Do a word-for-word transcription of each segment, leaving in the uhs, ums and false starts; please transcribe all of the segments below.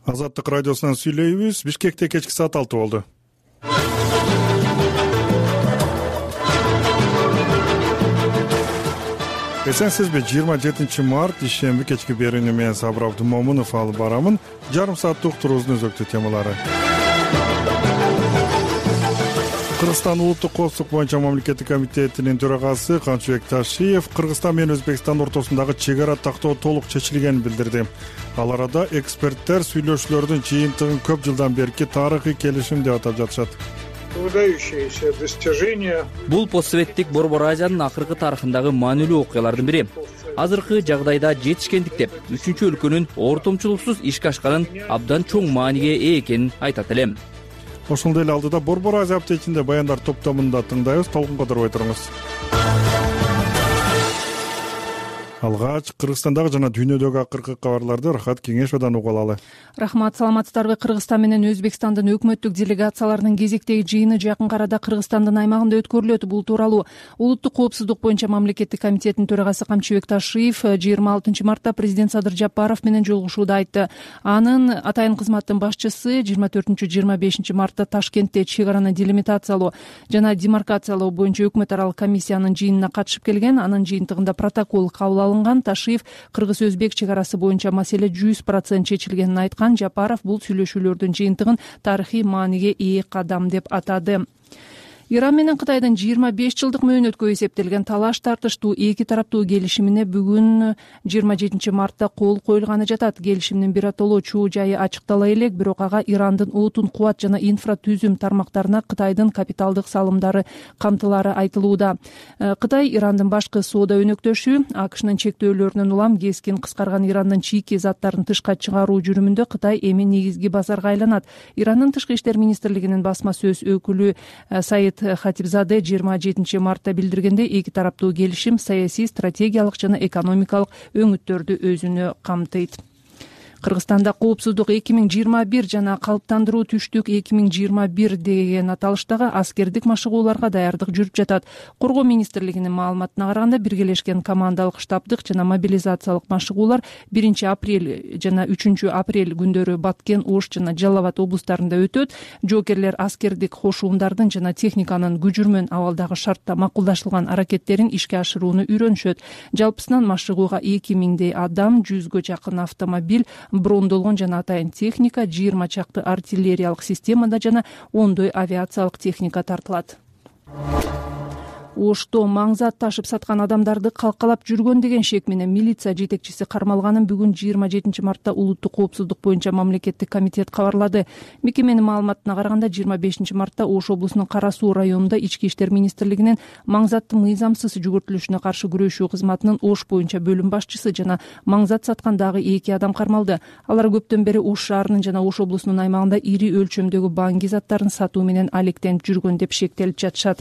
Азаттык радиосунан сүйлөйбүз. Бишкекте кечки саат алты болду. Эсенсизби? жыйырма жетинчи март ишемби кечки берүүнү мен Сабыр Абдымомунов алып барамын. Жарым сааттык уктуруубуздун өзөктүү темалары. Кыргызстан улуттук коопсуздук боюнча мамлекеттик комитетинин төрагасы Камчыбек Ташиев Кыргызстан менен Өзбекстан ортосундагы чек ара тактоо толук чечилгенин билдирди. Ал арада эксперттер сүйлөшүүлөрдүн жыйынтыгын көп жылдан берки тарыхый келишим деп атап жатышат. Выдающееся достижение. Бул постсоветтик Борбор Азиянын акыркы тарыхындагы маанилүү окуялардын бири. Азыркы жагдайда жетишкендик деп үчүнчү өлкөнүн ортомчулуксуз ишке ашканын абдан чоң мааниге ээ экенин айтат элем. Ошондой эле алдыда Борбор Азия аптечинде баяндар топтомунда тыңдайбыз. Толкун кодорбой туруңуз. Алгач Кыргызстандагы жана дүйнөдөгү акыркы кабарларды Рахат Кеңешовдон угуп алалы. Рахмат, саламатсыздарбы? Кыргызстан менен Өзбекстандын өкмөттүк делегацияларынын кезектеги жыйыны жакын арада Кыргызстандын аймагында өткөрүлөт. Бул тууралуу улуттук коопсуздук боюнча мамлекеттик комитетинин төрагасы Камчыбек Ташиев жыйырма алтынчы мартта президент Садыр Жапаров менен жолугушууда айтты. Анын атайын кызматтын башчысы жыйырма төртүнчү жыйырма бешинчи мартта Ташкентте чек араны делимитациялоо жана демаркациялоо боюнча өкмөт аралык комиссиянын жыйынына катышып келген. Анын жыйынтыгында протокол кабыл алынган. Ташиев кыргыз-өзбек чек арасы боюнча маселе жүз процент чечилгенин айткан. Жапаров бул сүйлөшүүлөрдүн жыйынтыгын тарыхый мааниге ээ кадам деп атады. Иран менен Кытайдын жыйырма беш жылдык мөөнөткө эсептелген талаш тартыштуу эки тараптуу келишимине бүгүн жыйырма жетинчи мартта кол коюлганы жатат. Келишимдин биротоло чуу жайы ачыктала элек, бирок ага Ирандын отун, кубат жана инфратүзүм тармактарына Кытайдын капиталдык салымдары камтылары айтылууда. Кытай Ирандын башкы соода өнөктөшү. АКШнын чектөөлөрүнөн улам кескин кыскарган Ирандын чийки заттарын тышка чыгаруу жүрүмүндө Кытай эми негизги базарга айланат. Ирандын тышкы иштер министрлигинин басма сөз өкүлү Саид Хатибзаде жыйырма жетинчи мартта билдиргенде, эки тараптуу келишим саясий, стратегиялык жана экономикалык өңүттөрдү өзүнө камтыйт. Кыргызстанда коопсуздук эки миң жыйырма бир жана калыптандыруу түштүк эки миң жыйырма бир деген аталыштагы аскердик машыгууларга даярдык жүрүп жатат. Коргоо министрлигинин маалыматына караганда, биргелешкен командалык штабдык жана мобилизациялык машыгуулар биринчи апрель жана үчүнчү апрель күндөрү Баткен, Ош жана Жалал Абад облустарында өтөт. Жоокерлер аскердик кошуундардын жана техниканын күжүрмөн абалдагы шартта макулдашылган аракеттерин ишке ашырууну үйрөнүшөт. Жалпысынан машыгууга эки миңдей адам, жүзгө жакын автомобиль, брондолгон жана атайын техника, жыйырма чакты артиллериялык системада жана ондой авиациялык техника тартылат. Ошто маңзат ташып саткан адамдарды калкалап жүргөн деген шек менен милиция жетекчиси кармалганын бүгүн жыйырма жетинчи мартта улуттук коопсуздук боюнча мамлекеттик комитет кабарлады. Мекеменин маалыматына караганда, жыйырма бешинчи мартта Ош облусунун Кара Суу районунда Ички иштер министрлигинин маңзаттын мыйзамсыз жүгүртүлүшүнө каршы күрөшүү кызматынын Ош боюнча бөлүм башчысы жана маңзат саткан дагы эки адам кармалды. Алар көптөн бери Ош шаарынын жана Ош облусунун аймагында ири өлчөмдөгү банги заттарын сатуу менен алектенип жүргөн деп шектелип жатышат.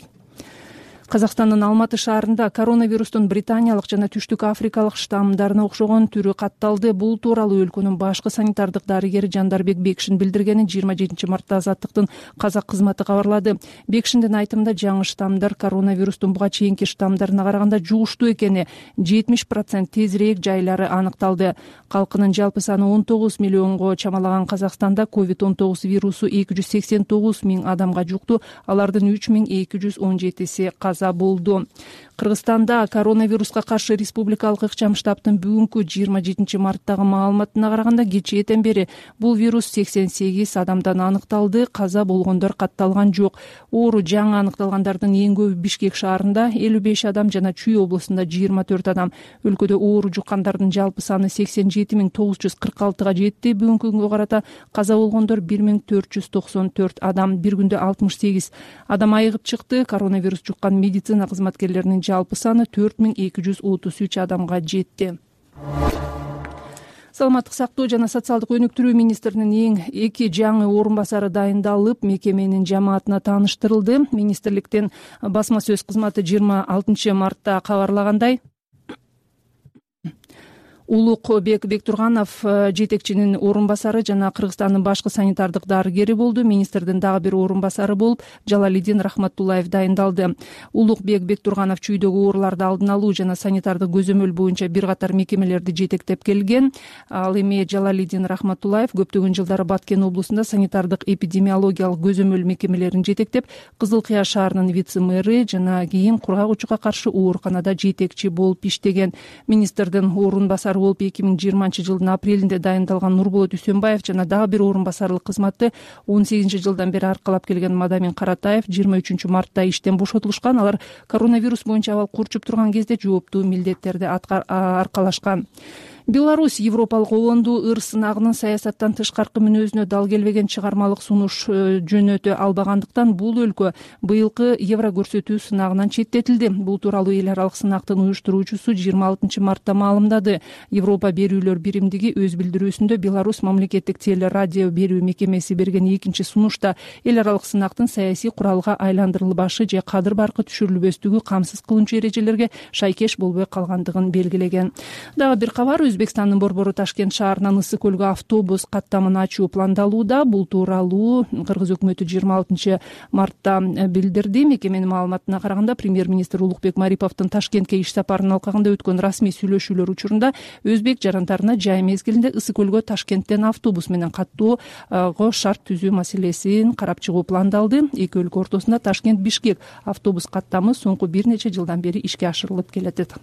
Казакстандын Алматы шаарында коронавирустун британиялык жана түштүк африкалык штаммдарына окшогон түрү катталды. Бул тууралуу өлкөнүн башкы санитардык дарыгери Жандарбек Бекшин билдиргенин жыйырма жетинчи мартта Азаттыктын казак кызматы кабарлады. Бекшиндин айтымында, жаңы штаммдар коронавирустун буга чейинки штаммдарына караганда жугуштуу экени, жетимиш процент тезирээк жайлары аныкталды. Калкынын жалпы саны он тогуз миллионго чамалаган Казакстанда ковид он тогуз вирусу эки жүз сексен тогуз миң адамга жукту. Алардын үч миң эки жүз он жетиси каза болду. Кыргызстанда коронавируска каршы республикалык ыкчам штабтын бүгүнкү жыйырма жетинчи марттагы маалыматына караганда, кечээден бери бул вирус сексен сегиз адамдан аныкталды. Каза болгондор катталган жок. Оору жаңы аныкталгандардын эң көбү Бишкек шаарында элүү беш адам жана Чүй облусунда жыйырма төрт адам. Өлкөдө оору жуккандардын жалпы саны сексен жети миң тогуз жүз кырк алтыга жетти. Бүгүнкү күнгө карата каза болгондор бир миң төрт жүз токсон төрт адам. Бир күндө алтымыш сегиз адам айыгып чыкты. Коронавирус жуккан медицина кызматкерлеринин жалпы саны төрт миң эки жүз отуз үч адамга жетти. Саламаттык сактоо жана социалдык өнүктүрүү министринин эң эки жаңы орун басары дайындалып, мекеменин жамаатына тааныштырылды. Министрликтин басма сөз кызматы жыйырма алтынчы мартта кабарлагандай, Улукбек Бектурганов жетекчинин орун басары жана Кыргызстандын башкы санитардык дарыгери болду. Министрдин дагы бир орун басары болуп Жалалидин Рахматуллаев дайындалды. Улукбек Бектурганов чүйдөгү ооруларды алдын алуу жана санитардык көзөмөл боюнча бир катар мекемелерди жетектеп келген. Ал эми Жалалидин Рахматуллаев көптөгөн жылдары Баткен облусунда санитардык эпидемиологиялык көзөмөл мекемелерин жетектеп, Кызыл Кыя шаарынын вице-мэри жана кийин кургак учукка каршы ооруканада жетекчи болуп иштеген. Министрдин орун басары болуп эки миң жыйырманчы жылдын апрелинде дайындалган Нурболот Үсөнбаев жана дагы бир орун басарлык кызматты он сегизинчи жылдан бери аркалап келген Мадамин Каратаев жыйырма үчүнчү мартта иштен бошотулушкан. Алар коронавирус боюнча абал курчуп турган кезде жооптуу милдеттерди аркалашкан. Беларусь Европалык обонду ыр сынагынын саясаттан тышкаркы мүнөзүнө дал келбеген чыгармалык сунуш жөнөтө албагандыктан бул өлкө быйылкы евро көрсөтүү сынагынан четтетилди. Бул тууралуу эл аралык сынактын уюштуруучусу жыйырма алтынчы мартта маалымдады. Европа берүүлөр биримдиги өз билдирүүсүндө Беларусь мамлекеттик телерадио берүү мекемеси берген экинчи сунушта эл аралык сынактын саясий куралга айландырылбашы же кадыр баркы түшүрүлбөстүгү камсыз кылуучу эрежелерге шайкеш болбой калгандыгын белгилеген. Дагы бир кабар: Өзбекстандын борбору Ташкент шаарынан Ысык көлгө автобус каттамын ачуу пландалууда. Бул тууралуу Кыргыз өкмөтү жыйырма алтынчы мартта билдирди. Мекеменин маалыматына караганда, премьер-министр Улукбек Мариповдун Ташкентке иш сапарынын алкагында өткөн расмий сүйлөшүүлөр учурунда өзбек жарандарына жай мезгилинде Ысык көлгө Ташкенттен автобус менен каттоого шарт түзүү маселесин карап чыгуу пландалды. Эки өлкө ортосунда Ташкент-Бишкек автобус каттамы соңку бир нече жылдан бери ишке ашырылып келет.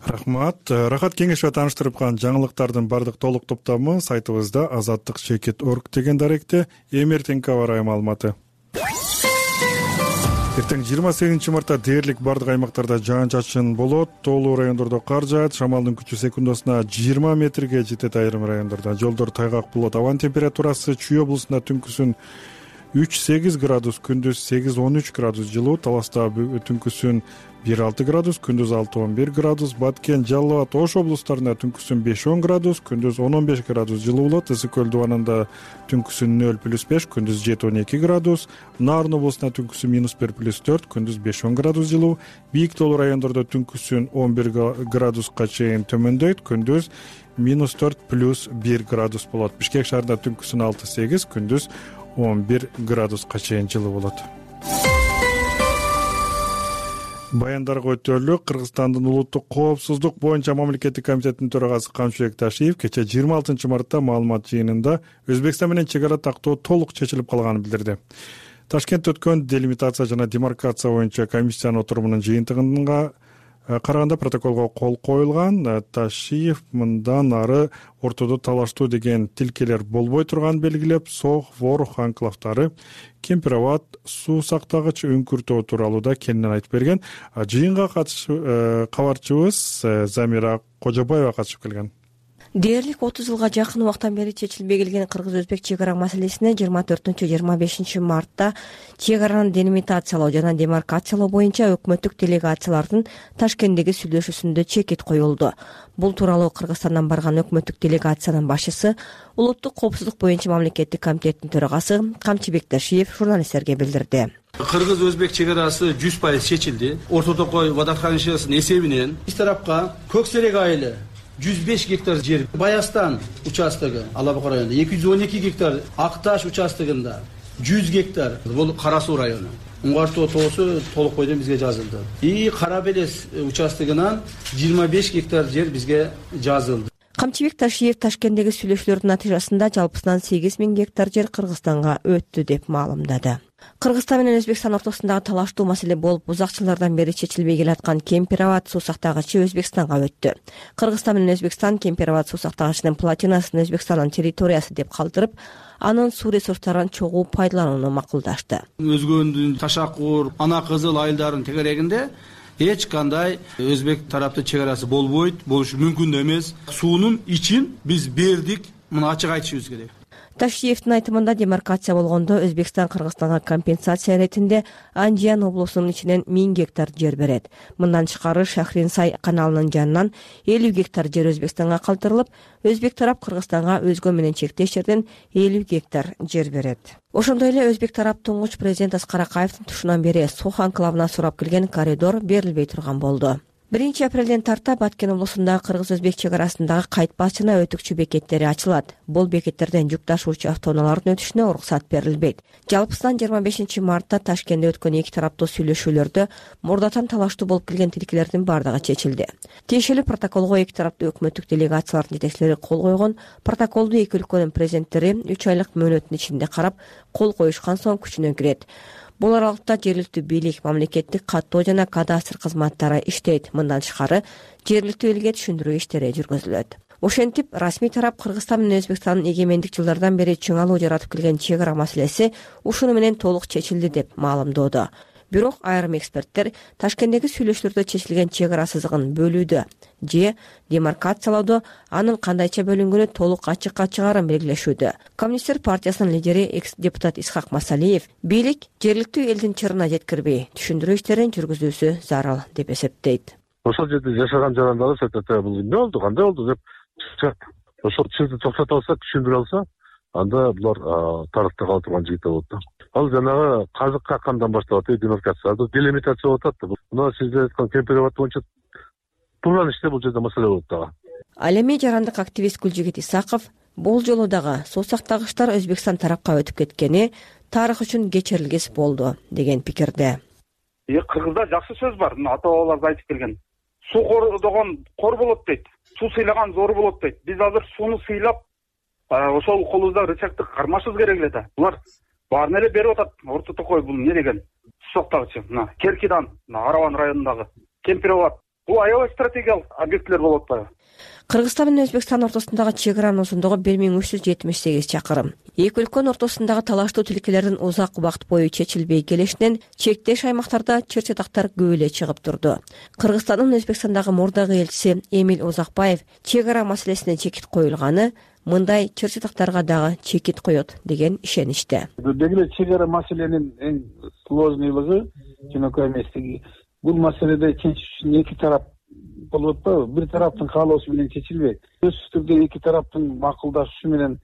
Рахмат. Рахат кеңешке тааныштырып калган жаңылыктардын бардык толук топтому сайтыбызда азаттык чекит точка орг деген даректе. Эми эртеңки аба ырайы маалыматы. Эртең жыйырма сегизинчи мартта дээрлик бардык аймактарда жаан-чачын болот. Тоолуу райондордо кар жаат. Шамалдын күчү секундасына жыйырма метрге жетет айрым райондордо. Жолдор тайгак болот. Абанын температурасы Чүй облусунда түнкүсүн үч сегиз градус, күндүз сегиз он үч градус жылуу. Таласта түнкүсүн бир алты градус, күндүз алты он бир градус. Баткен, Жалал абад, Ош облустарында түнкүсүн беш он градус, күндүз он он беш градус жылуу болот. Ысык көл дубанында түнкүсүн нөл плюс беш, күндүз жети он эки градус. Нарын облусунда түнкүсүн минус бир плюс төрт, күндүз беш он градус жылуу. Бийик тоолуу райондордо түнкүсүн он бир градуска чейин төмөндөйт, күндүз минус төрт плюс бир градус болот. Бишкек шаарында түнкүсүн алты сегиз, күндүз он бир градуска чейин жылуу болот. Баяндарга өтөлүк. Кыргызстандын улуттук коопсуздук боюнча мамлекеттик комитетинин төрагасы Камчыбек Ташиев кечээ жыйырма алтынчы мартта маалымат жыйынында Өзбекстан менен чек ара тактоо толук чечилип калганын билдирди. Ташкентте өткөн делимитация жана демаркация боюнча комиссиянын отурумунун жыйынтыгына караганда протоколго кол коюлган. Ташиев мындан ары ортодо талаштуу деген тилкелер болбой турганын белгилеп, Сох, Ворох анклавдары, Кемпир абад суу сактагыч үңкүртөө тууралуу да кеңинен айтып берген. Жыйынга катышып кабарчыбыз Замира Кожобаева катышып келген. Дээрлик отуз жылга жакын убактан бери чечилбей келген кыргыз-өзбек чек ара маселесине жыйырма төртүнчү жыйырма бешинчи мартта чек араны делимитациялоо жана демаркациялоо боюнча өкмөттүк делегациялардын Ташкенттеги сүйлөшүүсүндө чекит коюлду. Бул тууралуу Кыргызстандан барган өкмөттүк делегациянын башчысы, улуттук коопсуздук боюнча мамлекеттик комитеттин төрагасы Камчыбек Ташиев журналисттерге билдирди. Кыргыз-өзбек чек арасы жүз пайыз чечилди. Орто Токой водохранилищесинин эсебинен биз тарапка Көксерек айылы жүз беш гектар жер, Баястан участогу Алабуга районунда эки жүз он эки гектар, Акташ участогунда жүз гектар, бул Кара Суу району. Уңгартоо тоосу толук бойдон бизге жазылды. И Кара Белес участогунан жыйырма беш гектар жер бизге жазылды. Камчыбек Ташиев Ташкенттеги сүйлөшүүлөрдүн натыйжасында жалпысынан сегиз миң гектар жер Кыргызстанга өттү деп маалымдады. Кыргызстан менен Өзбекстан ортосундагы талаштуу маселе болуп, узак жылдардан бери чечилбей келаткан Кемпир абад суу сактагычы Өзбекстанга өттү. Кыргызстан менен Өзбекстан Кемпир абад суу сактагычынын платинасын Өзбекстандын территориясы деп калтырып, анын суу ресурстарын чогуу пайдаланууну макулдашты. Өзгөндүн Ташакур, Ана Кызыл айылдарынын тегерегинде эч кандай өзбек тараптын чек арасы болбойт, болушу мүмкүн да эмес. Суунун ичин биз бердик, муну ачык айтышыбыз керек. Ташиевдин айтымында демаркация болгондо Өзбекстан Кыргызстанга компенсация иретинде Анжиян облусунун ичинен миң гектар жер берет. Мындан тышкары Шахрин-Сай каналынын жанынан элүү гектар жер Өзбекстанга калтырылып, өзбек тарап Кыргызстанга өзгө менен чектеш жерден элүү гектар жер берет. Ошондой эле өзбек тарап туңгуч президент Аскар Акаевдин тушунан бери Сох анклавына сурап келген коридор берилбей турган болду. биринчи апрелден тарта Баткен облусундагы кыргыз-өзбек чек арасындагы кайтпас жана өтүкчү бекеттери ачылат. Бул бекеттерден жүк ташуучу автоунаалардын өтүшүнө уруксат берилбейт. Жалпысынан жыйырма бешинчи мартта Ташкентте өткөн эки тараптуу сүйлөшүүлөрдө мурдатан талаштуу болуп келген тилкелердин бардыгы чечилди. Тиешелүү протоколго эки тараптуу өкмөттүк делегациялардын жетекчилери кол койгон. Протоколду эки өлкөнүн президенттери үч айлык мөөнөттүн ичинде карап, кол коюшкан соң күчүнө кирет. Бул аралыкта жергиликтүү бийлик, мамлекеттик каттоо жана кадастр кызматтары иштейт. Мындан тышкары жергиликтүү элге түшүндүрүү иштери жүргүзүлөт. Ошентип, расмий тарап Кыргызстан менен Өзбекстандын эгемендик жылдардан бери чыңалуу жаратып келген чек ара маселеси ушуну менен толук чечилди деп маалымдоодо. Бирок айрым эксперттер Ташкенттеги сүйлөшүүлөрдө чечилген чек ара сызыгын бөлүүдө же демаркациялоодо анын кандайча бөлүнгөнү толук ачыкка чыгарын белгилешүүдө. Коммунисттер партиясынын лидери экс-депутат Исхак Масалиев бийлик жергиликтүү элдин чырына жеткирбей түшүндүрүү иштерин жүргүзүүсү зарыл деп эсептейт. Ошол жерде жашаган жарандары сатата бул эмне болду, кандай болду деп чыгат. Ошол чырды токтото алса, түшүндүрө алса, анда булар тарыхта кала турган жигиттер болот да. Ал жанагы казык каккандан башталат, демаркация, делимитация болуп атат. Мына сиздер айткан кемперабад боюнча турган иште бул жерде маселе болот дагы. Ал эми жарандык активист Гүлжигит Исаков бул жолу дагы суу сактагычтар Өзбекстан тарапка өтүп кеткени тарых үчүн кечирилгис болду деген пикирде. Кыргызда жакшы сөз бар, ата бабалар айтып келген. Суу кордогон кор болот дейт. Суу сыйлаган зор болот дейт. Биз азыр сууну сыйлап, ошол колубузда рычагды кармашыбыз керек эле да. Булар баарын эле берип атат. Орто Токой бул эмне деген? Суу сактагычы. Мына Керкидан, Араван районундагы Кемперабад. Бул аябай стратегиялык объекттер болуп атпайбы? Кыргызстан менен Өзбекстан ортосундагы чек аранын узундугу бир миң үч жүз жетимиш сегиз чакырым. Эки өлкөнүн ортосундагы талаштуу тилкелердин узак убакыт бою чечилбей келишинен чектеш аймактарда чыр-чатактар көп эле чыгып турду. Кыргызстандын Өзбекстандагы мурдагы элчиси Эмил Узакбаев чек ара маселесине чекит коюлганы мындай чыр-чатактарга дагы чекит коет деген ишеничте. Деги чек ара маселенин эң сложныйлыгы, жөнөкөй эместиги. Бул маселеде чечиш үчүн эки тарап болуп атпайбы? Бир тараптын каалоосу менен чечилбейт. Сөзсүз түрдө эки тараптын макулдашушу менен,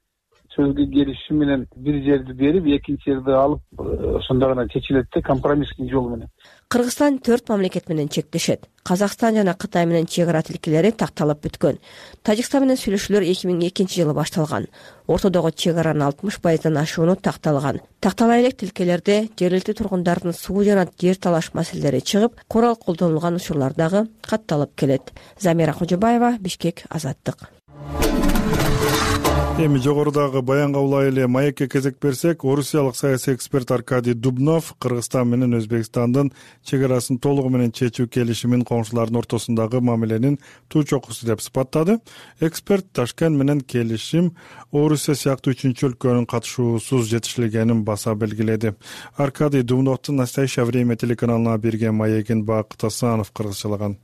сөзгө келишиши менен бир жерди берип, экинчи жерди алып, ошондо гана чечилет да, компромисстин жолу менен. Кыргызстан төрт мамлекет менен чектешет. Казакстан жана Кытай менен чек ара тилкелери такталып бүткөн. Тажикстан менен сүйлөшүүлөр эки миң экинчи жылы башталган. Ортодогу чек аранын алтымыш пайыздан ашууну такталган. Тактала элек тилкелерде жергиликтүү тургундардын суу жана жер талаш маселелери чыгып, курал колдонулган учурлар дагы катталып келет. Замира Кожобаева, Бишкек, Азаттык. Эми жогорудагы баянга улай эле маекке кезек берсек, орусиялык саясий эксперт Аркадий Дубнов Кыргызстан менен Өзбекстандын чек арасын толугу менен чечүү келишимин коңшулардын ортосундагы мамиленин туу чокусу деп сыпаттады. Эксперт Ташкент менен келишим Орусия сыяктуу үчүнчү өлкөнүн катышуусуз жетишилгенин баса белгиледи. Аркадий Дубновдун «Настоящее время» телеканалына берген маегин Бакыт Асанов кыргызчалаган.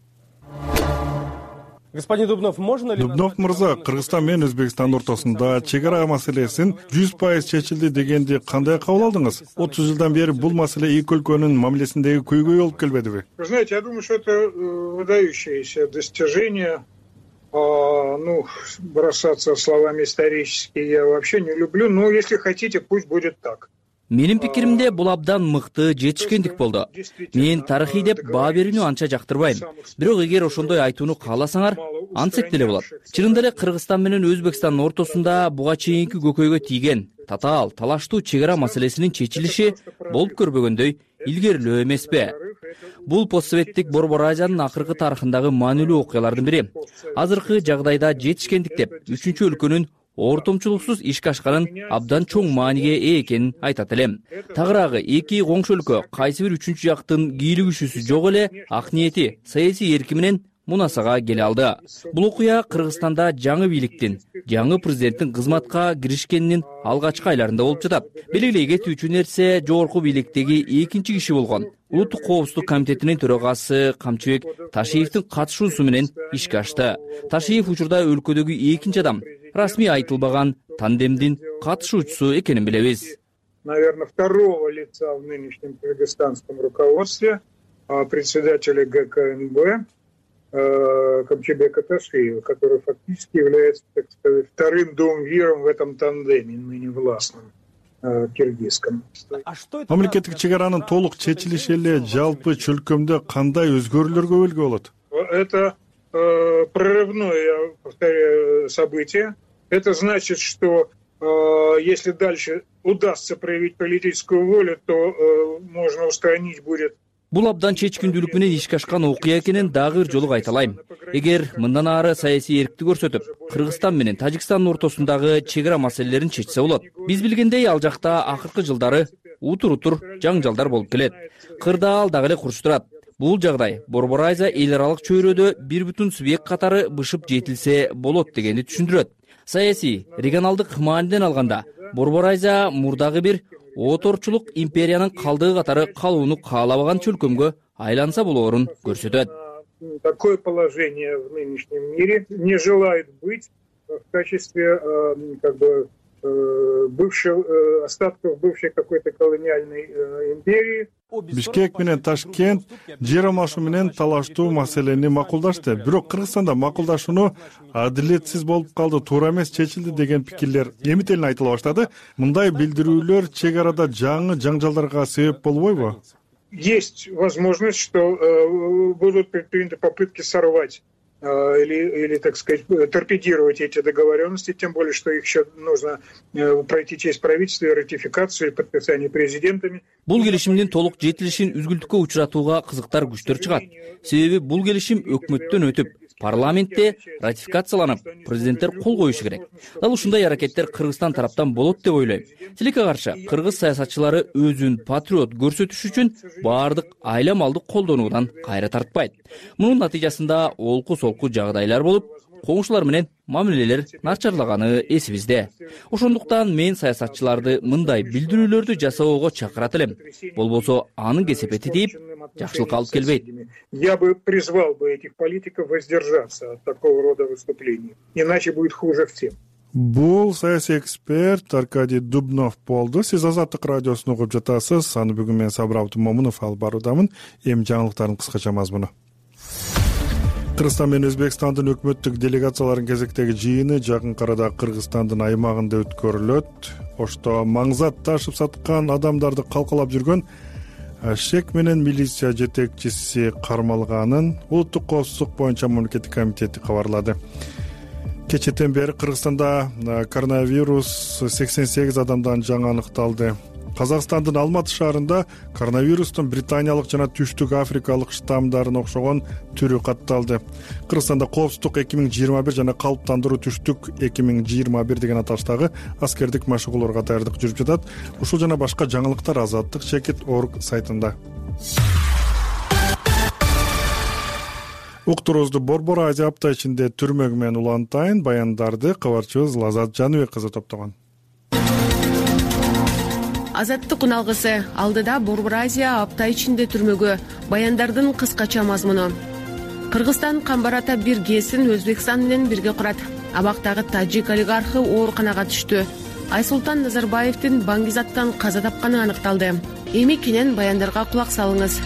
Господин Дубнов, можно ли... Дубнов мырза, Кыргызстан менен Өзбекстан ортосунда чек ара маселесин жүз пайыз чечилди дегенди кандай кабыл алдыңыз? отуз жылдан бери бул маселе эки өлкөнүн мамилесиндеги көйгөй болуп келбедиби? Вы знаете, я думаю, что это выдающееся достижение. Ну, бросаться словами исторические я вообще не люблю, но если хотите, пусть будет так. Менин пикиримде бул абдан мыкты жетишкендик болду. Мен тарыхый деп баа берүүнү анча жактырбайм. Бирок эгер ошондой айтууну кааласаңар, антсек деле болот. Чынында эле Кыргызстан менен Өзбекстандын ортосунда буга чейинки көкөйгө тийген татаал талаштуу чек ара маселесинин чечилиши болуп көрбөгөндөй илгерилөө эмеспи? Бул постсоветтик Борбор Азиянын акыркы тарыхындагы маанилүү окуялардын бири. Азыркы жагдайда жетишкендик деп үчүнчү өлкөнүн ортомчулуксуз ишке ашканын абдан чоң мааниге ээ экенин айтат элем. Тагыраагы эки коңшу өлкө кайсы бир үчүнчү жактын кийлигишүүсү жок эле ак ниети, саясий эрки менен мунасага келе алды. Бул окуя Кыргызстанда жаңы бийликтин, жаңы президенттин кызматка киришкенинин алгачкы айларында болуп жатат. Белгилей кетүүчү нерсе, жогорку бийликтеги экинчи киши болгон Улуттук коопсуздук комитетинин төрагасы Камчыбек Ташиевдин катышуусу менен ишке ашты. Ташиев учурда өлкөдөгү экинчи адам, расмий айтылбаган тандемдин катышуучусу экенин билебиз. Наверное, второго лица в нынешнем кыргызстанском руководстве, председателя ГКНБ Камчыбека Ташиева, который фактически является, так сказать, вторым дуумвиром в этом тандеме, ныне властном киргизском. Мамлекеттик чек аранын толук чечилиши эле жалпы чөлкөмдө кандай өзгөрүүлөргө белги болот? это э, прорывное, я повторяю, событие. Это значит, что э, если дальше удастся проявить политическую волю, то э, можно устранить будет. Бул абдан чечкиндүүлүк менен ишке ашкан окуя экенин дагы бир жолу кайталайм. Эгер мындан ары саясий эркти көрсөтүп, Кыргызстан менен Тажикстандын ортосундагы чек ара маселелерин чечсе болот. Биз билгендей, ал жакта акыркы жылдары утур-утур жаңжалдар болуп келет. Кырдаал дагы эле курч турат. Бул жагдай Борбор Айза эл аралык чөйрөдө бир бүтүн субъект катары бышып жетилсе болот дегенди түшүндүрөт. Саясий, регионалдык мааниден алганда, Борбор Айза мурдагы бир оторчулук империянын калдыгы катары калууну каалабаган чөлкөмгө айланса болоорун көрсөтөт. Такое положение в нынешнем мире не желает быть в качестве как бы бывших остатков бывшей какой-то колониальной империи. Бишкек менен Ташкент жер алмашуу менен талаштуу маселени макулдашты. Бирок Кыргызстанда макулдашууну адилетсиз болуп калды, туура эмес, чечилди деген пикирлер эми-телин айтыла баштады. Мындай билдирүүлөр чек арада жаңы жаңжалдарга себеп болбойбу? Есть возможность, что э, будут предприняты попытки сорвать э, или, или, так сказать, торпедировать эти договоренности, тем более, что их еще нужно э, пройти через правительство и ратификацию и подписание президентами. Бул келишимдин толук жетилишин үзгүлтүккө учуратууга кызыктар күчтөр чыгат. Себеби бул келишим өкмөттөн өтүп, парламентте ратификацияланып, президенттер кол коюшу керек. Дал ушундай аракеттер Кыргызстан тараптан болот деп ойлойм. Тилекке каршы, кыргыз саясатчылары өзүн патриот көрсөтүш үчүн баардык айла малды колдонуудан кайра тартпайт. Мунун натыйжасында олку-солку жагдайлар болуп, коңшулар менен мамилелер начарлаганы эсибизде. Ошондуктан мен саясатчыларды мындай билдирүүлөрдү жасоого чакырат элем. Болбосо анын кесепети тийип, жакшылыкка алып келбейт. Я бы призвал бы этих политиков воздержаться от такого рода выступлений, иначе будет хуже всем. Бул саясий эксперт Аркадий Дубнов болду. Сиз Азаттык радиосун угуп жатасыз. Аны бүгүн мен Сабыр Момунов алып баруудамын. Эми жаңылыктардын кыскача мазмуну. Кыргызстан менен Өзбекстандын өкмөттүк делегацияларынын кезектеги жыйыны жакын арада Кыргызстандын аймагында өткөрүлөт. Ошто маңзат ташып саткан адамдарды калкалап жүргөн Ашек менен милиция жетекчиси кармалганын Улуттук коопсуздук боюнча мамлекеттик комитети кабарлады. Кечэтен бери Кыргызстанда коронавирус сексен сегиз адамдан жаңы аныкталды. Казакстандын Алматы шаарында коронавирустун британиялык жана түштүк африкалык штамдарына окшогон түрү катталды. Кыргызстанда коопсуздук эки миң жыйырма бир жана калыптандыруу түштүк эки миң жыйырма бир деген аталыштагы аскердик машыгууларга даярдык жүрүп жатат. Ушул жана башка жаңылыктар Азаттык чекит точка орг сайтында. Уктуруубузду Борбор Азия апта ичинде түрмөгү менен улантайын баяндарды кабарчыбыз Лазат Жаныбек кызы топтогон. Азаттык уналгысы алдыда Борбор Азия апта ичинде түрмөгө баяндардын кыскача мазмуну. Кыргызстан Камбар ата бир гээсин Өзбекстан менен бирге курат. Абактагы тажик олигархы ооруканага түштү. Айсултан Назарбаевдин Баңгизаттан каза тапканы аныкталды. Эми кенен баяндарга кулак салыңыз.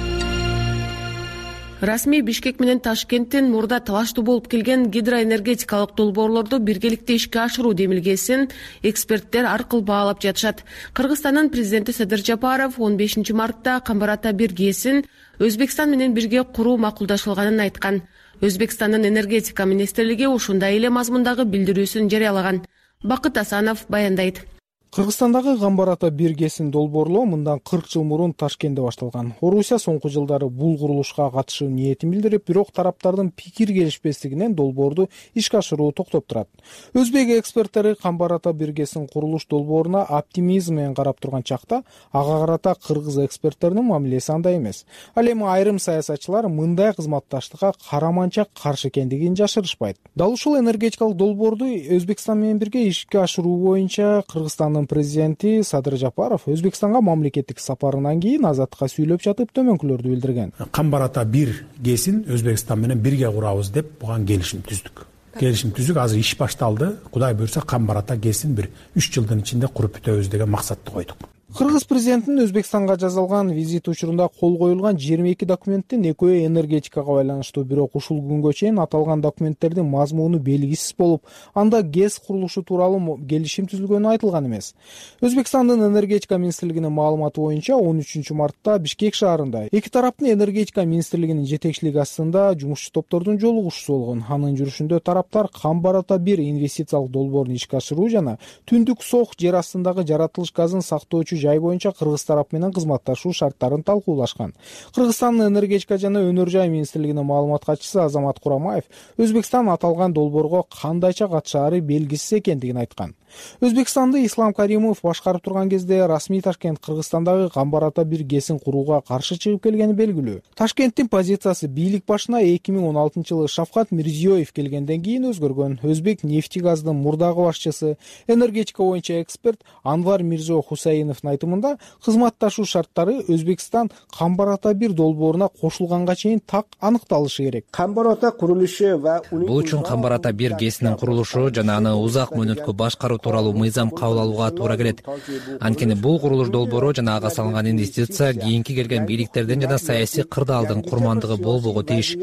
Расмий Бишкек менен Ташкенттин мурда талаштуу болуп келген гидроэнергетикалык долбоорлорду биргеликте ишке ашыруу демилгесин эксперттер аркылуу баалап жатышат. Кыргызстандын президенти Садыр Жапаров он бешинчи мартта Камбар ата бир гээсин Өзбекстан менен бирге куруу макулдашылганын айткан. Өзбекстандын энергетика министрлиги ушундай эле мазмундагы билдирүүсүн жарыялаган. Бакыт Асанов баяндайт. Кыргызстандагы Камбар ата бир гээсин долбоорлоо мындан кырк жыл мурун Ташкентте башталган. Орусия соңку жылдары бул курулушка катышуу ниетин билдирип, бирок тараптардын пикир келишпестигинен долбоорду ишке ашыруу токтоп турат. Өзбек эксперттери Камбар ата бир гээсин курулуш долбооруна оптимизм менен карап турган чакта, ага карата кыргыз эксперттеринин мамилеси андай эмес. Ал эми айрым саясатчылар мындай кызматташтыкка караманча каршы экендигин жашырышпайт. Дал ушул энергетикалык долбоорду Өзбекстан менен бирге ишке ашыруу боюнча Кыргызстандын президенти Садыр Жапаров Өзбекстанга мамлекеттик сапарынан кийин Азаттыкка сүйлөп жатып төмөнкүлөрдү билдирген. Камбар ата бир гээсин Өзбекстан менен бирге курабыз деп буга келишим түздүк. Келишим түздүк, азыр иш башталды. Кудай буйрса Камбар ата гээсин бир үч жылдын ичинде куруп бүтөбүз деген максатты койдук. Кыргыз президентинин Өзбекстанга жасалган визит учурунда кол коюлган жыйырма эки документтин экөө энергетикага байланыштуу, бирок ушул күнгө чейин аталган документтердин мазмуну белгисиз болуп, анда ГЭС курулушу тууралуу келишим түзүлгөнү айтылган эмес. Өзбекстандын энергетика министрлигинин маалыматы боюнча он үчүнчү мартта Бишкек шаарында эки тараптын энергетика министрлигинин жетекчилиги астында жумушчу топтордун жолугушуусу болгон. Анын жүрүшүндө тараптар Камбар Ата бир инвестициялык долбоорун ишке ашыруу жана Түндүк Сох жер астындагы жаратылыш газын сактоочу жай боюнча кыргыз тарап менен кызматташуу шарттарын талкуулашкан. Кыргызстандын энергетика жана өнөр жай министрлигинин маалымат катчысы Азамат Курамаев Өзбекстан аталган долбоорго кандайча катышаары белгисиз экендигин айткан. Өзбекстанды Ислам Каримов башкарып турган кезде расмий Ташкент Кыргызстандагы Камбар Ата бир ГЭСин курууга каршы чыгып келгени белгилүү. Ташкенттин позициясы бийлик башына эки миң он алтынчы жылы Шавкат Мирзиёев келгенден кийин өзгөргөн. Өзбек нефтегаздын мурдагы башчысы, энергетика боюнча эксперт Анвар Мирзо Хусаиновдун айтымында, кызматташуу шарттары Өзбекстан Камбар Ата бир долбооруна кошулганга чейин так аныкталышы керек. Камбар Ата курулушу ва бул үчүн Камбар Ата бир ГЭСинин курулушу жана аны узак мөөнөткө башкаруу тууралуу мыйзам кабыл алууга туура келет. Анткени бул курулуш долбоору жана ага салынган инвестиция кийинки келген бийликтердин жана саясий кырдаалдын курмандыгы болбого тийиш.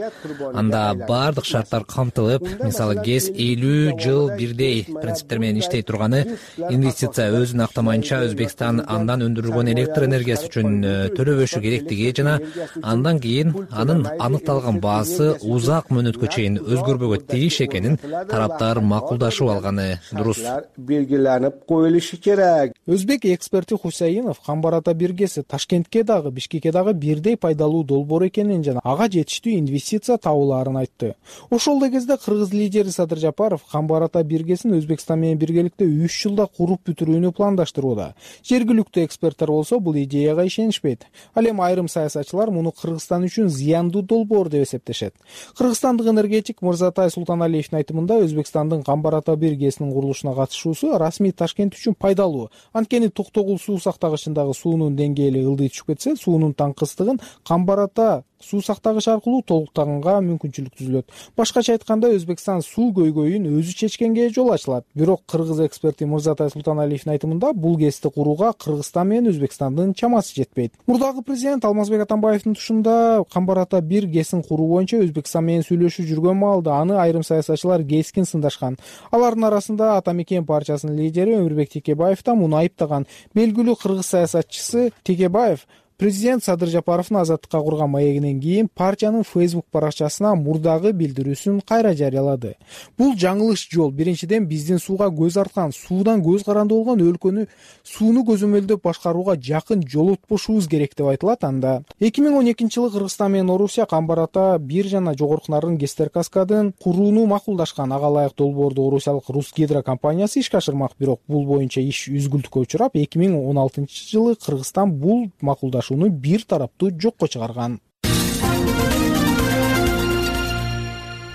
Анда баардык шарттар камтылып, мисалы ГЭС элүү жыл бирдей принциптер менен иштей турганы, инвестиция өзүн актамайынча Өзбекстан андан өндүрүлгөн электр энергиясы үчүн төлөбөшү керектиги жана андан кийин анын аныкталган баасы узак мөөнөткө чейин өзгөрбөгө тийиш экенин тараптар макулдашып алганы дурус. Белгиленип коюлушу керек. Өзбек эксперти Хусаинов Камбар Ата бир ГЭСи Ташкентке дагы, Бишкекке дагы бирдей пайдалуу долбоор экенин жана ага жетиштүү инвестиция табылаарын айтты. Ошол эле кезде кыргыз лидери Садыр Жапаров Камбар Ата бир ГЭСин Өзбекстан менен биргеликте үч жылда куруп бүтүрүүнү пландаштырууда. Жергиликтүү эксперттер болсо бул идеяга ишенишпейт. Ал эми айрым саясатчылар муну Кыргызстан үчүн зыяндуу долбоор деп эсептешет. Кыргызстандык энергетик Мырзатай Султаналиевдин айтымында, Өзбекстандын Камбар Ата бир ГЭСинин курулушуна катышуусу расмий Ташкент үчүн пайдалуу. Анткени Токтогул суу сактагычындагы суунун деңгээли ылдый түшүп кетсе, суунун таңкыстыгын Камбар Ата суу сактагыч аркылуу толуктаганга мүмкүнчүлүк түзүлөт. Башкача айтканда, Өзбекстан суу көйгөйүн өзү чечкенге жол ачылат. Бирок кыргыз эксперти Мырзатай Султаналиевдин айтымында, бул ГЭСти курууга Кыргызстан менен Өзбекстандын чамасы жетпейт. Мурдагы президент Алмазбек Атамбаевдин тушунда Камбар Ата бир ГЭСин куруу боюнча Өзбекстан менен сүйлөшүп жүргөн маалда аны айрым саясатчылар кескин сындашкан. Алардын арасында Ата Мекен партиясынын лидери Өмүрбек Текебаев да муну айыптаган. Белгилүү кыргыз саясатчысы Текебаев президент Садыр Жапаровдун азаттыкка курган маегинен кийин партиянын Facebook баракчасына мурдагы билдирүүсүн кайра жарыялады. Бул жаңылыш жол. Биринчиден, биздин сууга көз арткан, суудан көз каранды болгон өлкөнү сууну көзөмөлдөп башкарууга жакын жолотпошубуз керек деп айтылат анда. эки миң он экинчи жылы Кыргызстан менен Орусия Камбар Ата бир жана жогорку нарын ГЭСтер каскадын курууну макулдашкан. Ага ылайык долбоорду орусиялык Русгидро компаниясы ишке ашырмак, бирок бул боюнча иш үзгүлтүккө учурап, эки миң он алтынчы жылы Кыргызстан бул макулдашууну бир тараптуу жокко чыгарган.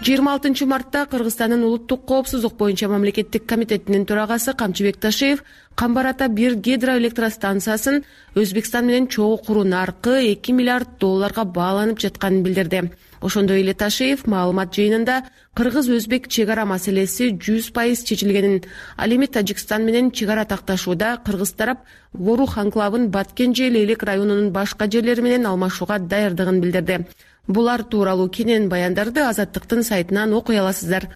жыйырма алтынчы мартта Кыргызстандын улуттук коопсуздук боюнча мамлекеттик комитетинин төрагасы Камчыбек Ташиев Камбар Ата бир гидроэлектростанциясын Өзбекстан менен чогуу куруу наркы эки миллиард долларга бааланып жатканын билдирди. Ошондой эле Ташиев маалымат жыйынында кыргыз-өзбек чек ара маселеси жүз пайыз чечилгенин, ал эми Тажикстан менен чек ара такташууда кыргыз тарап Ворух анклавын Баткенже Лейлек районунун башка жерлери менен алмашууга даярдыгын билдирди. Булар тууралуу кенен баяндарды Азаттыктын сайтынан окуй аласыздар.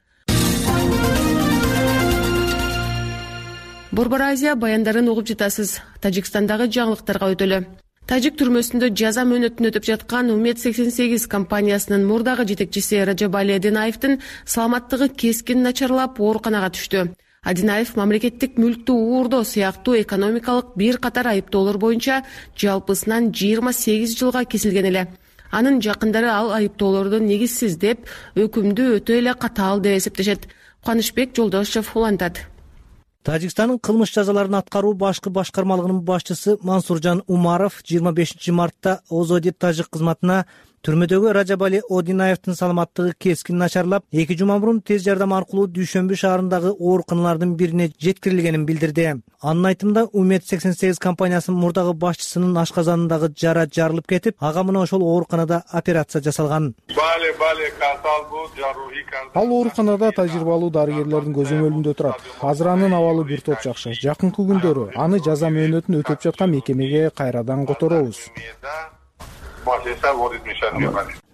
Борбор Азия баяндарын угуп жатасыз. Тажикстандагы жаңылыктарга өтөлү. Тажик түрмөсүндө жаза мөөнөтүн өтүп жаткан Умед сексен сегиз компаниясынын мурдагы жетекчиси Раджабали Адинаевдин саламаттыгы кескин начарлап ооруканага түштү. Адинаев мамлекеттик мүлктү уурдоо сыяктуу экономикалык бир катар айыптоолор боюнча жалпысынан жыйырма сегиз жылга кесилген эле. Анын жакындары ал айыптоолорду негизсиз деп, өкүмдү өтө эле катаал деп эсептешет. Кубанычбек Жолдошев улантат. Тажикстандын кылмыш жазаларын аткаруу башкы башкармалыгынын башчысы Мансуржан Умаров жыйырма бешинчи мартта Озодит тажик кызматына Түрмөдөгү Ражабали Одинаевдин саламаттыгы кескин начарлап, эки жума мурун тез жардам аркылуу Дүйшөмбү шаарындагы ооруканалардын бирине жеткирилгенин билдирди. Анын айтымында Умет сексен сегиз компаниясынын мурдагы башчысынын ашказанындагы жара жарылып кетип, ага мына ошол ооруканада операция жасалган. Ал ооруканада тажрыйбалуу дарыгерлердин көзөмөлүндө турат. Азыр анын абалы бир топ жакшы. Жакынкы күндөрү аны жаза мөөнөтүн өтөп жаткан мекемеге кайрадан которобуз,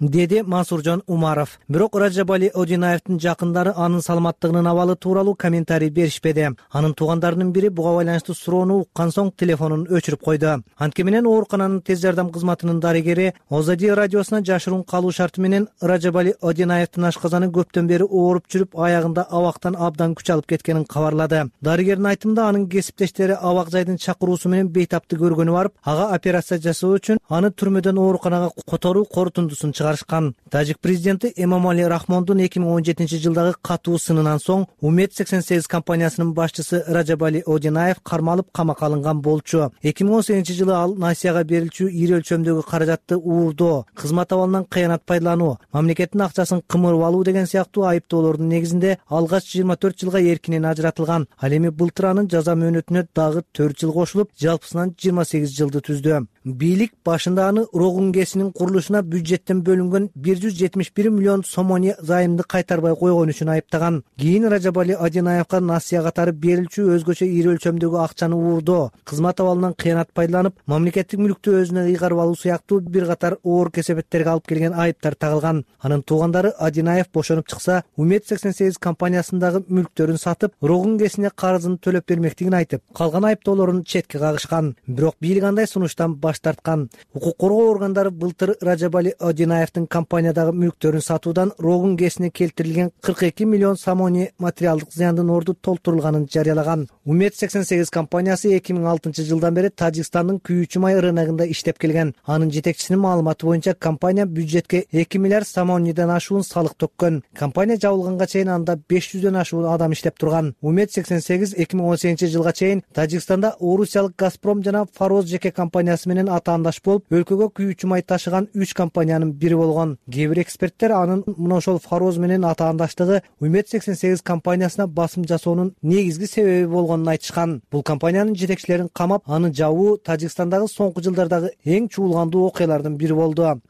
деди Мансуржон Умаров. Бирок Ражабали Одинаевдин жакындары анын саламаттыгынын абалы тууралуу комментарий беришпеди. Анын туугандарынын бири буга байланыштуу суроону уккан соң телефонун өчүрүп койду. Анткени менен оорукананын тез жардам кызматынын дарыгери Озади радиосуна жашыруун калуу шарты менен Ражабали Одинаевдин ашказаны көптөн бери ооруп жүрүп, аягында абактан абдан күч алып кеткенин кабарлады. Дарыгердин айтымында анын кесиптештери абак жайдын чакыруусу менен бейтапты көргөнү барып, ага операция жасоо үчүн аны түрмөдөн ооруканага которуу корутундусун чыгарышкан. Тажик президенти Эмомали Рахмондун эки миң он жетинчи жылдагы катуу сынынан соң Умет сексен сегиз компаниясынын башчысы Ражабали Одинаев кармалып камакка алынган болчу. эки миң он сегизинчи жылы ал Насияга берилчү ири өлчөмдөгү каражатты уурдоо, кызмат абалынан кыянат пайдалануу, мамлекеттин акчасын кымырып алуу деген сыяктуу айыптоолордун негизинде алгач жыйырма төрт жылга эркинен ажыратылган. Ал эми былтыр анын жаза мөөнөтүнө дагы төрт жыл кошулуп, жалпысынан жыйырма сегиз жылды түздү. Бийлик башында аны Рогун ГЭСинин курулушуна бюджеттен бөлүнгөн бир жүз жетимиш бир миллион сомони займды кайтарбай койгон үчүн айыптаган. Кийин Ражабали Одинаевга Насия катары берилчү өзгөчө ири өлчөмдөгү акчаны уурдоо, кызмат абалынан кыянат пайдаланып, мамлекеттик мүлктү өзүнө ыйгарып алуу сыяктуу бир катар оор кесепеттерге алып келген айыптар тагылган. Анын туугандары Одинаев бошонуп чыкса, Умет сексен сегиз компаниясындагы мүлктөрүн сатып, Рогун ГЭСине карызын төлөп бермектигин айтып, калган айыптоолорун четке кагышкан. Бирок бийлик андай сунуштан баш тарткан. Укук коргоо органдары былтыр Ражабали Одинаевдин компаниядагы мүлктөрүн сатуудан Рогун ГЭСине келтирилген кырк эки миллион сомони материалдык зыяндын орду толтурулганын жарыялаган. Умет сексен сегиз компаниясы эки миң алтынчы жылдан бери Тажикстандын Күйүүчү май рыногунда иштеп келген. Анын жетекчисинин маалыматы боюнча компания бюджетке эки миллиард сомониден ашуун салык төккөн. Компания жабылганга чейин анда беш жүздөн ашуун адам иштеп турган. Умет сексен сегиз эки миң он сегизинчи жылга чейин Тажикстанда Орусиялык Газпром жана Фароз жеке компаниясы менен атаандаш болуп, өлкөгө күйүүчү май ташыган үч компаниянын бири болгон. Кээ бир эксперттер анын мына ошол Фароз менен атаандаштыгы Умет сексен сегиз компаниясына басым жасоонун негизги себеби болгонун айтышкан. Бул компаниянын жетекчилерин камап, аны жабуу Тажикстандагы соңку жылдардагы эң чуулгандуу окуялардын бири болду.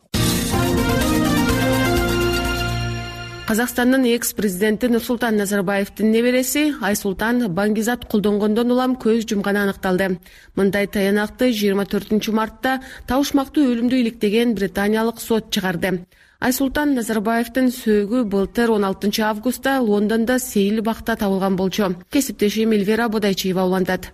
Казакстандын экс-президенти Нурсултан Назарбаевдин небереси Айсултан Баңгизат колдонгондон улам көз жумганы аныкталды. Мындай таянакты жыйырма төртүнчү мартта табышмактуу өлүмдү иликтеген британиялык сот чыгарды. Айсултан Назарбаевдин сөөгү былтыр он алтынчы августта Лондондо Сейил бакта табылган болчу. Кесиптешим Эльвира Бодайчиева улантат.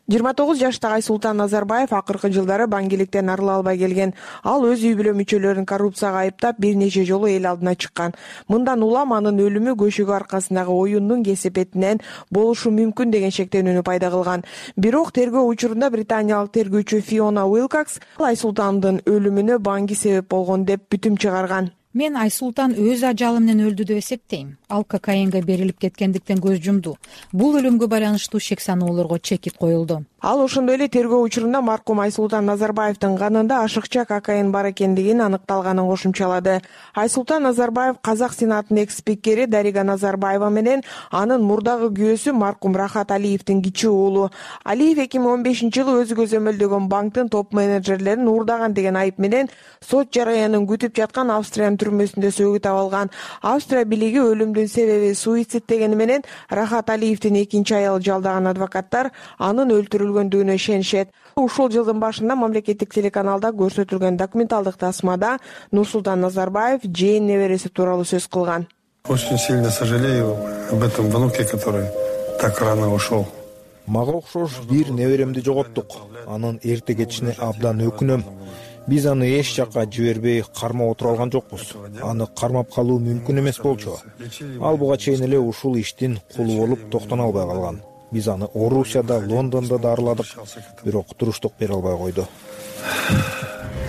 жыйырма тогуз жаштагы Айсултан Назарбаев акыркы жылдары баңгиликтен арыла албай келген. Ал өз үй бүлө мүчөлөрүн коррупцияга айыптап бир нече жолу эл алдына чыккан. Мындан улам анын өлүмү көшөгө аркасындагы оюндун кесепетинен болушу мүмкүн деген шектенүүнү пайда кылган. Бирок тергөө учурунда британиялык тергөөчү Фиона Уилкокс Айсултандын өлүмүнө Баңги себеп болгон деп бүтүм чыгарган. Мен Айсултан өз ажалы менен өлдү деп эсептейм. Ал кокаинге берилип кеткендиктен көз жумду. Бул өлүмгө байланыштуу шек саноолорго чекит коюлду. Ал ошондой эле тергөө учурунда маркум Айсултан Назарбаевдин канында ашыкча кокаин бар экендигин аныкталганын кошумчалады. Айсултан Назарбаев Казак Сенатынын экс-спикери Дарига Назарбаева менен анын мурдагы күйөөсү маркум Рахат Алиевдин кичүү уулу. Алиев эки миң он бешинчи жылы өзү көзөмөлдөгөн банктын топ менеджерлерин уурдаган деген айып менен сот жараянын күтүп жаткан Австриянын түрмөсүндө сөөгү табылган. Австрия бийлиги өлүмдүн себеби суицид дегени менен Рахат Алиевдин экинчи аялы жалдаган адвокаттар анын өлтүрүлгөндүгүнө ишенишет. Ушул жылдын башында мамлекеттик телеканалда көрсөтүлгөн документалдык тасмада Нурсултан Назарбаев жээн небереси тууралуу сөз кылган. Очень сильно сожалею об этом внуке, который так рано ушел. Мага окшош бир неберемди жоготтук. Анын эрте кетишине абдан өкүнөм. Биз аны эч жакка жибербей кармап отура алган жокпуз. Аны кармап калуу мүмкүн эмес болчу. Ал буга чейин эле ушул иштин кулу болуп токтоно албай калган. Биз аны Орусияда, Лондондо да арыладык, бирок туруштук бере албай койду.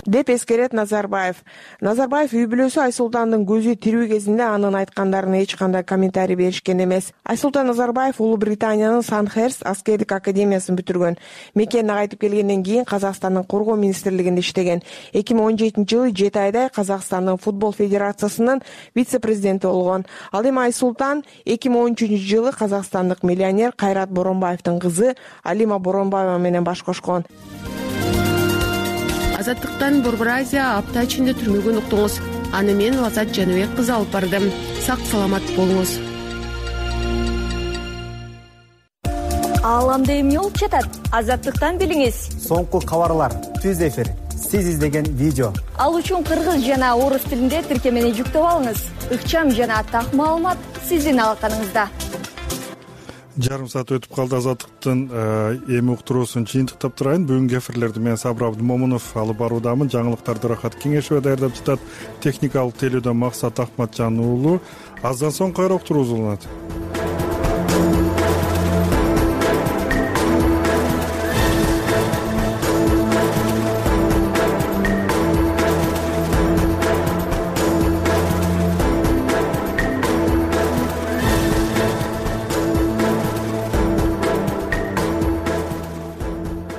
деп эскерет Назарбаев. Назарбаев үй бүлөсү Айсултандын көзү тирүү кезинде анын айткандарына эч кандай комментарий беришкен эмес. Айсултан Назарбаев Улуу Британиянын Сандхерст аскердик академиясын бүтүргөн. Мекенине кайтып келгенден кийин Казакстандын коргоо министрлигинде иштеген. эки миң он жетинчи жылы жети айдай Казакстандын футбол федерациясынын вице-президенти болгон. Ал эми Айсултан эки миң он үчүнчү жылы казакстандык миллионер Кайрат Боронбаевдин кызы Алима Боронбаева менен баш кошкон. Азаттыктан Борбор Азия апта ичинде түрмөгөн уктуңуз. Аны мен Лазат Жаныбек кызы алып бардым. Сак саламат болуңуз. Ааламда эмне болуп жатат? Азаттыктан билиңиз. Соңку кабарлар, түз эфир, сиз издеген видео. Ал үчүн кыргыз жана орус тилинде тиркемени жүктөп алыңыз. Ыкчам жана так маалымат сиздин алаканыңызда. Жарым саат өтүп калды. Азаттыктын эми уктуруусун жыйынтыктап турайын. Бүгүнкү эфирлерди мен Сабыр Абдымомунов алып баруудамын. Жаңылыктарды Рахат Кеңешева даярдап жатат. Техникалык телөөдөн Максат Акматжан уулу. Аздан соң кайра уктуруу уланат.